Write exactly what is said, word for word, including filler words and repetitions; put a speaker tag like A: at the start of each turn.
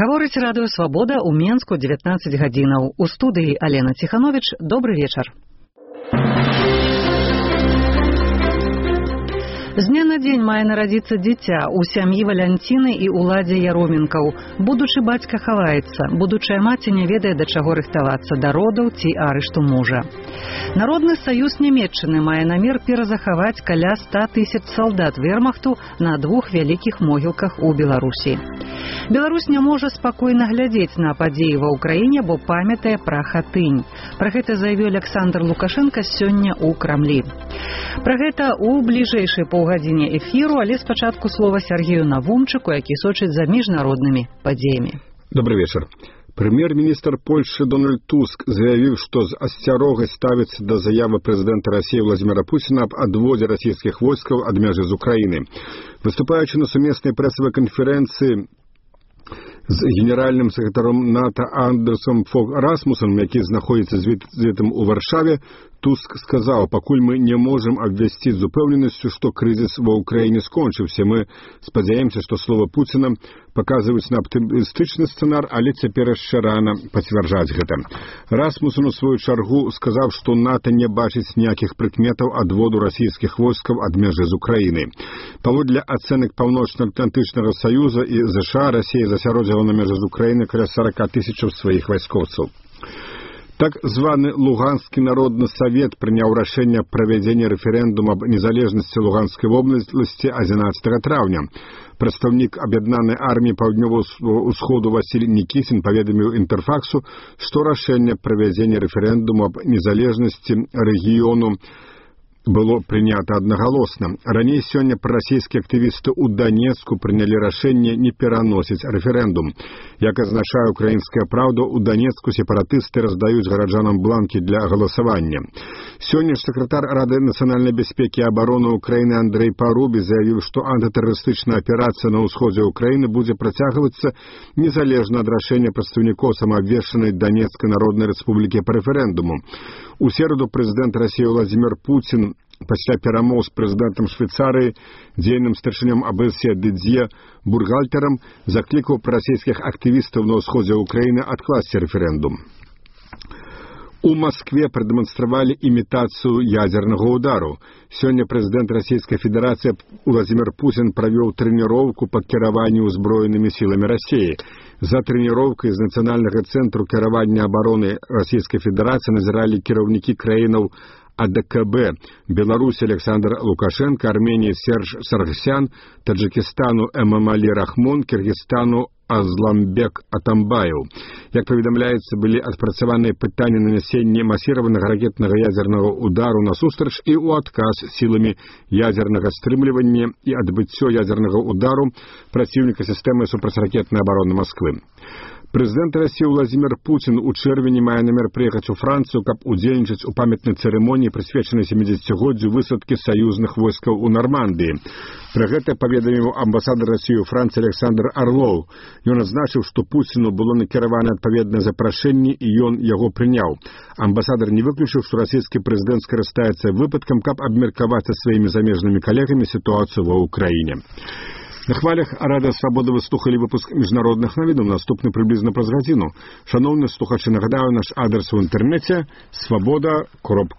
A: Гаворыць радыё «Свабода» ў Менску дзевятнаццаць гадзінаў. У студыі Алена Ціхановіч. Добры вечар. З дня на дзень мае нарадзіцца дзіця ў сям'і Валянціны і Уладзе Яроменкаў. Будучы бацька хаваецца, будучая маці не ведае, да чаго рыхтавацца, да родаў ці арышту мужа. Народны саюз Нямецчыны мае намер перазахаваць каля ста тысяч салдат вермахту на двух вялікіх могілках у Беларусі. Беларусь не можа спакойна глядзець на падзеі ва ўкраіне, бо памятае пра Хатынь. Пра гэта заявіў Александр Лукашенко сёння ў Крамлі. Пра гэта ў бліжэйшай паўгадзіне эфіру, але спачатку слова Сергею Навумчыку, які сочыць за міжнароднымі падзеямі.
B: Добрый вечер. Премьер-министр Польши Дональд Туск заявил, что с осцярогай ставится до заявы президента России Владимира Путина об отводе российских войск от межи из Украины. Выступаючи на суместной прессовой конференции з генеральным секретаром НАТО Андерсом Фог Расмусом, який знаходится з візитом у Варшаве, Туск сказал: «Покуль мы не можем обвестить с упевненностью, что кризис во Украине скончился. Мы сподіваємося, что слово Путина показывает на оптимистичный сценар, але теперь еще рано подтверждать это». Расмусон у свою чергу сказал, что НАТО не бачит никаких прикметов отводу российских войск от межи з Украины. Паводле оценок Паўночна-Атлантычнага Союза и США, Россия засяродзіла на межи з Украины каля сорок тысяч своих войскоўцаў. Так званы Луганский народный совет принял решение о проведении референдума об незалежности Луганской области одиннадцатого травня. Представник Об'єднаної армії Паўднёвага Усходу Василий Никитин поведомил Интерфаксу, что решение проведения референдума об незалежности региону было принято одноголосно. Ранее сегодня пророссийские активисты у Донецку приняли решение не переносить референдум. Як означает «Украинская правда», у Донецку сепаратисты раздают горожанам бланки для голосования. Сегодня секретарь Рады национальной безопасности и обороны Украины Андрей Парубий заявил, что антитеррористичная операция на усходе Украины будет протягиваться незалежно от решения представников самообвешенной Донецкой Народной Республики по референдуму. У середу президент России Владимир Путин пасля перамоў з прэзідэнтам Швейцарыі, дзейным старшынём АБСЕ Дидье Бургальтерам, заклікаў прарасійскіх актывістаў на ўсходзе Украины откласти референдум. У Москве продемонстрировали имитацию ядерного удара. Сегодня президент Российской Федерации Владимир Путин провел тренировку по кіраванню узброенными силами России. За тренировкой из Национального центра кіравання обороны Российской Федерации назирали кіраўнікі краінаў АДКБ, Беларусь Александр Лукашенко, Армении Серж Саргсян, Таджикистану Эмомали Рахмон, Киргизстану Азламбек Атамбаев. Як поведомляется, были адпрацаваныя пытанні нанесення масіраванага ракетнага ядерного удару насустрач і у адказ силами ядерного стрымлівання и адбыццё ядерного удару противника системы супрацьракетной обороны Москвы. Президент России Владимир Путин у чэрвені мае намер приехать у Францию, каб удзельнічаць у памятнай церемонии, прысвечанай семидесятигоддзю высадки союзных войскаў у Нормандии. Про гэта паведаміў амбасадар России у Франции Александр Орлов. Ён адзначыў, што Путину было накіравана адпаведнае запрашэнне, і ён яго прыняў. Амбасадар не выключыў, што расійскі прэзідэнт скарыстаецца выпадкам, каб абмеркаваць са сваімі замежнымі калегамі сітуацыю ва Ўкраіне. На хвалях Радыё «Свабода» вы слухали выпуск міжнародных навідаў, наступны приблизно праз гадзіну. Шановні слухачі, нагадаю, наш адрес у інтэрнэце свабода кропка